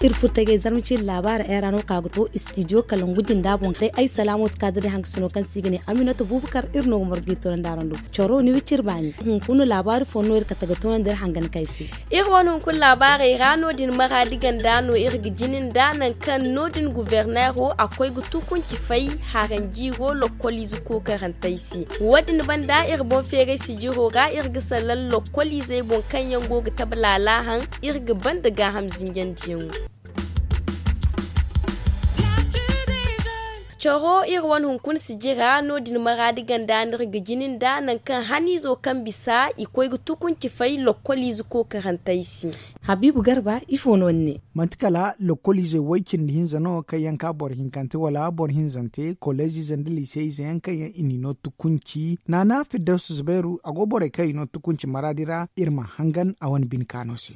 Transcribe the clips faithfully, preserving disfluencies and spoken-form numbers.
Iri furo tagay zarma cindi laabaari ay ra no ka ga to istidiyo kalangu jinda boŋ day ay salaamooti ka dira hankasino kaŋ se i ga ne aminata bubakar iri no ga margu i toonandi araŋ do. Coro ni wiciri baani hunkuna laabaari fo no iri kate ga toonandi iri hangan kay se. Iri wane hunkuna laabaarey ra no- din maraadi ganda no iri ga jini nda nangu kaŋ no- din guverneero a koy ga tukunci fay haranjiiro lokkoliize kookarantey se. Wo- din banda iri boŋ feeray sijiro ra iri ga salaŋ lokkoliizey boŋ kaŋ yaŋ go ga tabe laala haŋ, iri ga banda gaaham zinjandiyaŋo. Coro iri wane hunkuna sijira no- din maraadi ganda no iri ga jini nda nangu kaŋ haniizo kaŋ bisa i koy ga tukunci fay lokkoliize kookarantey se. Habiibu garba ifo no ni ne? Manti kala lokkoliizey way cindi hinza no kaŋ yaŋ ka boro hinkante wala boro hinzante koleeziize nda liiseyiize yaŋ kaŋ yaŋ i n'i no tukunci naana firdawsi zubairu a go borey kaŋ i no tukunci maraadi ra iri ma hangan a wane bine kaano se.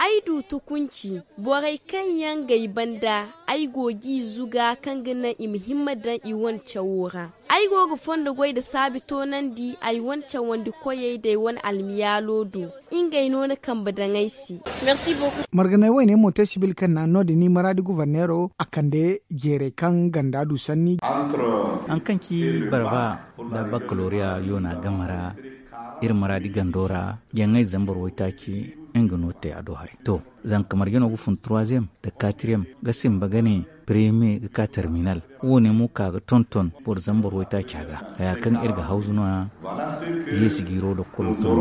Ay du tukunci borey kaŋ yaŋ g'ay banda ay go g'i zuga kaŋ ga naŋ i ma himma daŋ i wane cawo ra. Ay go ga fondo goy nda saabi toonandi ay wane cawandi koyey nda ay wane almiyaalo do. Ngey no na kambe daŋ ay se. Marganay wayne mo te sibil kaŋ na no- din ni maraadi guvarneero a kande jeerey kaŋ ganda du sanni. Haŋ kaŋ ci barba nda bakkaloriya yoona game ra iri maraadi gando ra jaŋay zambar waytaaci nga no te a do haray to. Zanka marjano ga fun troisième nda quatrième ga simba ga ne premier ga ka terminal. Wo- ne mo ka ga tonton boro zambar waytaaca ga haya kaŋ iri ga hawzu no- ya. Yeesi jiiro lokkolo tun.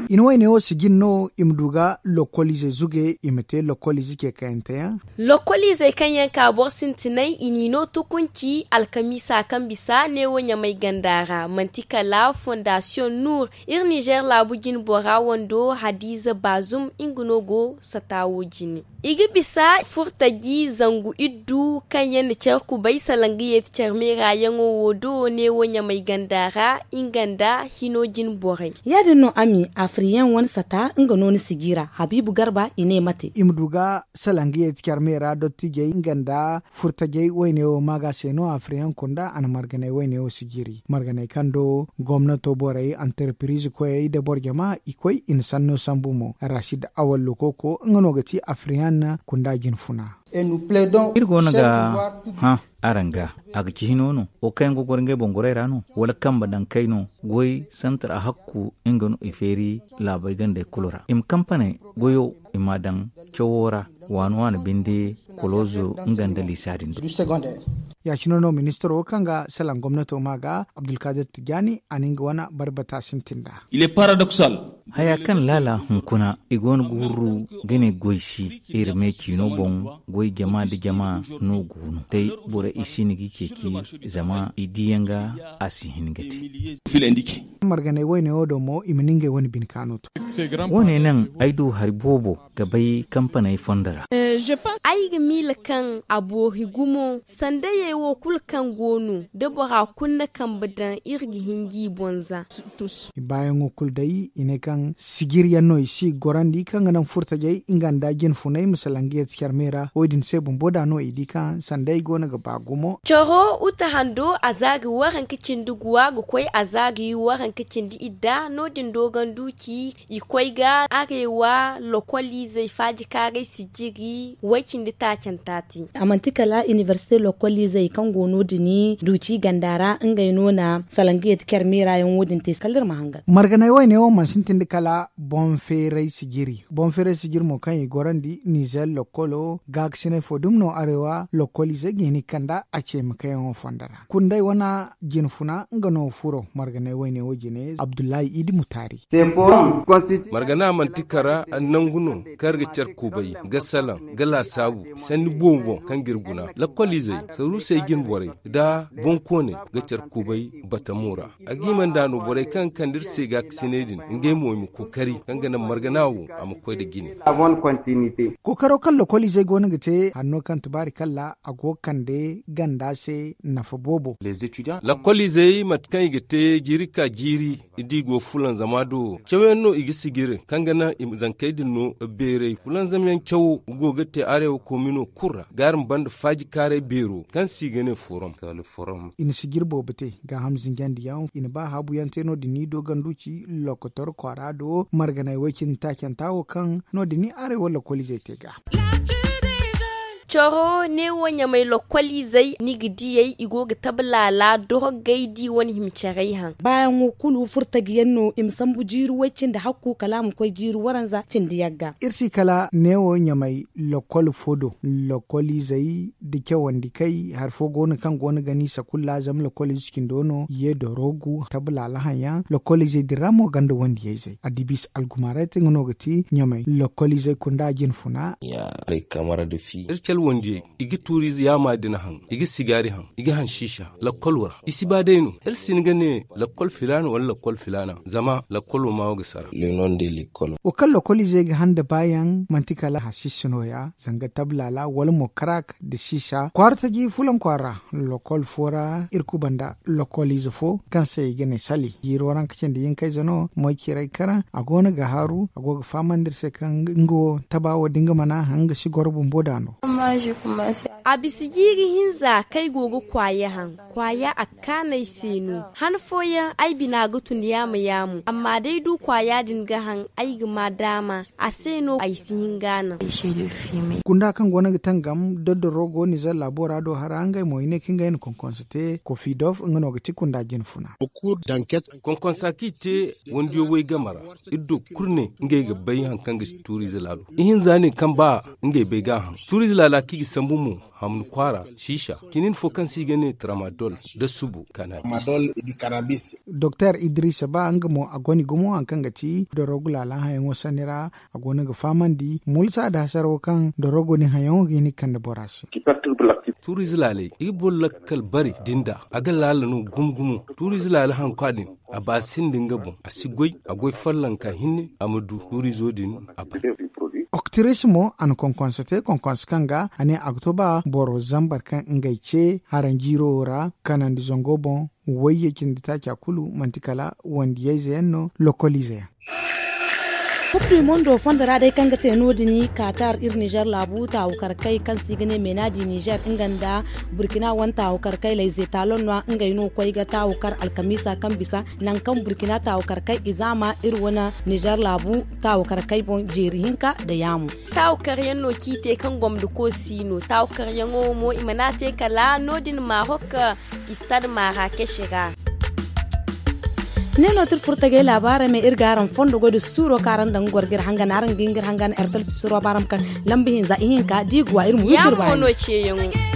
I na wayne wo si jin no i ma du ga lokkoliize zuge i ma te lokkoliize ce kayante yaŋ. Lokkoliizey kaŋ yaŋ ka boro sintinay i n'i no tukunci alkamiisa kaŋ bisa neewo ɲamay ganda ra manti kala fondasiyoŋ nuur. Iri nizer laabu jine bora wando hadiiza baazum nga no go sata wo jine. I ga bisa furtaji zangu iddu kaŋ yaŋ na care kubay salaŋ ga yeeti care meera yaŋo wo do neewo ɲamay ganda ra nga nda hino jine borey. Ya- din no ami afiriyaŋ wane sata nga no ni sijira habiibu garba i ne mate i ma du ga salaŋ ga yeeti care meera dottijey nga nda furtajey wayne wo ma ga se no afiriyaŋ kunda a na marganay wayne wo sijiri marganay kaŋ do gomnato borey antarpiriize koyey nda boro jama i koy i na sanno sambu mo rashid awallo kooko nga no ga ti afiriyaŋ kunda jinfuna. Iri go no ga hã araŋ ga a ga ci hino no wo kaŋ yaŋ ga goro ngey boŋ gorey ra no wala kambe daŋ kay no goy santar a hakku nga no i feeri laabey gandey kulu ra i ma kampaney goyo i m'a daŋ cawo ra waani waani binde koloozo nga nda liisa din do. Ya- cine no ministiro kaŋ ga salaŋ gomnato ma ga abdulkadir tijaani a na nga wane barbata sintin nd'a. Haya kaŋ laala hunkuna i go no ga wurru ga ne goy si iri me ciino boŋ goy jama nda jama no go no day borey i si no g'i ceeci zama i di yaŋ ga a si hin ga te. Marganay wayne wo do mo i ma ni ngey wane bine kaano to. Wo- ne naŋ ay du hari boobo ga bay kampaney fondo ra. Ay ga miila kaŋ a boori gumo sandayey wo kulu kaŋ go no da bora kulu na kambe daŋ iri ga hin g'i boŋ za. Baayaŋo kulu day i ne kaŋ sijiri yaŋ no i si gorandi kaŋ ga naŋ furtajey nga nda jinfunay ma salaŋ ga yeeti care meera wo- din se bumbo da no i di kaŋ sandayey go no ga ba gumo. Coro uta hando a za ga waranka cindi guwa ga koy a za ga yi waranka cindi idda no- din doogandu ci i koy ga arewa lokoliizey faajikaaray sijiri way cindi taacanta te. A manti kala iniversite lokoliizey kaŋ go no- din duuci ganda ra ngey no na salaŋ ga yeeti care meera yaŋ wo- din te kala iri ma hangan. Marganay wayne wo mana sintin nda kala boŋ feeray sijiri boŋ feeray sijiri mo kaŋ i gorandi nizer lokolo gaakasinay fo dumi no arewa lokoliizey ga hin ga kand'a a ce ma kayyaŋo fondo ra kunday wane jinfuna nga no furo marganay wayne wo jine abdullahi idi mutaari. Margana manti kara nangu no kaŋ iri ga care kubay ga salaŋ ga laasaabu sanni boobo boŋ kaŋ ga iri guna lakkoliizey saruusey jine borey nda boŋkooney ga care kubay batamo ra. A ga hima nd'a no borey kaŋ ga kande iri se gaakasinay din ngey mo i ma kookari kaŋ ga naŋ margana wo a ma koy nda jine. Kookaro kaŋ lakkoliizey go no ga te hanno kaŋ tubaari kalla a go ga kande ganda se nafa boobo. Lakkoliizey mate kaŋ i ga te jiiri ka jiiri da i go fulanzama do cawyaŋ no i ga sijiri kaŋ ga naŋ i ma zankey din no beeray fulanzamyaŋ cawo go ga te arewa komino kulu ra ga araŋ banda faajikaaray beero kaŋ se i ga ne forom. I na sijiri boobo te gaaham zinjandiyaŋ i na ba haabuyaŋ te no- din ni doogandu ci lokotor kwaara. a do marganay way cindi taacanta wo kaŋ no- din ni aray wala lakkoliizey te ga. Coro neewo ɲamay lakkoliizey ni ga diyey i go ga tabe laala dorogey di wane hima caray haŋ. Baayaŋo kulu furtaji yaŋ no i ma sambu jiiri way cindi hakku kala a ma koy jiiri waranza cindi yagga. Iri si kala neewo ɲamay lakkol fo do lakkoliizey da cawandi kay hari fo go no kaŋ go no ga ni sakulla zama lakkoliize cindo no ye dorogu tabe laala haŋ yaŋ lakkoliizey din ra mo ganda wandiyayzey addibiisi algumaarayte nga no ga ti ɲamay lakkoliizey kunda jinfuna. Iri calwandiyey i ga tuuriize yaama din haŋ i ga sigaari haŋ i ga haŋ siisa lakkolo ra i si ba day no iri si hin ga ne lakkol filaana wala lakkol filaana zama lakkolo ma wo ga sara. Wo kaŋ lakkoliizey ga haŋ nda baayaŋ manti kala hasiisi nooya zanga tabe laala wala mo karak nda siisa kwaara taji fulan kwaara. Lakkol fo ra iri kuba nda lakkoliize fo kaŋ se i ga ne sali jiiri waranka cindi yinkayze no moy ciiray karaŋ a go no ga haaru a go ga fahamandi iri se kaŋ nga wo taba wo da nga mana haŋ nga si goro bumbo da no. A bisa jiiri hinza kaŋ ay go ga kwaaya haŋ kwaaya a ga kaanu ay se no han fooyaŋ ay bina ga tun yaama yaamu amma da ay du kwaaya din ga haŋ ay ga ma daama a se no ay si hin ga a naŋ. Kunda kaŋ go no ga tangam da dorogo nizer laabo ra do hara ngey mo i ne kaŋ ngey na konkonsa te kofidof nga no ga ti kunda jinfuna. Konkonsa kaŋ i te wandiyo way game ra iri du kulu ne ngey ga bay hari kaŋ ga ti tuuriize laalo ihinza ne kaŋ ba ngey bay ga a haŋ tuuriize laala kaŋ i ga sambu mo hamni kwaara siisa cinin fo kaŋ se i ga ne tramadol nda subo kanabis. Doktor idrisa ba nga mo a goni gumo hari kaŋ ga ti dorogu laala hayaŋo sanni ra a go no ga fahamandi mulsa nda hasarawo kaŋ dorogo din hayaŋo ga hin ga kande bora se. Tuuriize laaley i ga boro lakkal bare din da a ga laala no gumo gumo tuuriize laala hankwa din a ba sinda nga boŋ a si goy a goy follonka hinne a ma du tuuriizo din a bay. Oktiris mo a na konkonsa te konkonsa kaŋ ga a ne a ga to ba boro zambar kaŋ ngey ce haranjiiro wo ra kanandi zango boŋ. Wayye cindi taaca kulu manti kala wandiyayze yaŋ no lokoliize yaŋ. Kub du mondo fondo ra day kaŋ ga te no- din katar iri nizer laabu taawu karkay kaŋ se i ga ne meenaadi nizer nga nda burkina wane taawu karkay layze taalon no ngey no koy ga taawu kar alkamiisa kaŋ bisa nangu kaŋ burkina taawu karkay i zaama iri wane nizer laabu taawu karkay boŋ jeeri hinka nda yaamu. Taawu karyaŋ no kaŋ i te kaŋ gomdo koosi no taawu karyaŋo mo i mana te kala no- din marok istad marakes ra. Ne no ti iri furo tagay laabaarey me iri ga araŋ fondo goy da suuro kaŋ araŋ daŋ ga goro ga iri hangan araŋ ga hin ga iri hangan ertel susuro baaram kaŋ lamba hinza ihinka da i ga wa iri ma wi iri baani.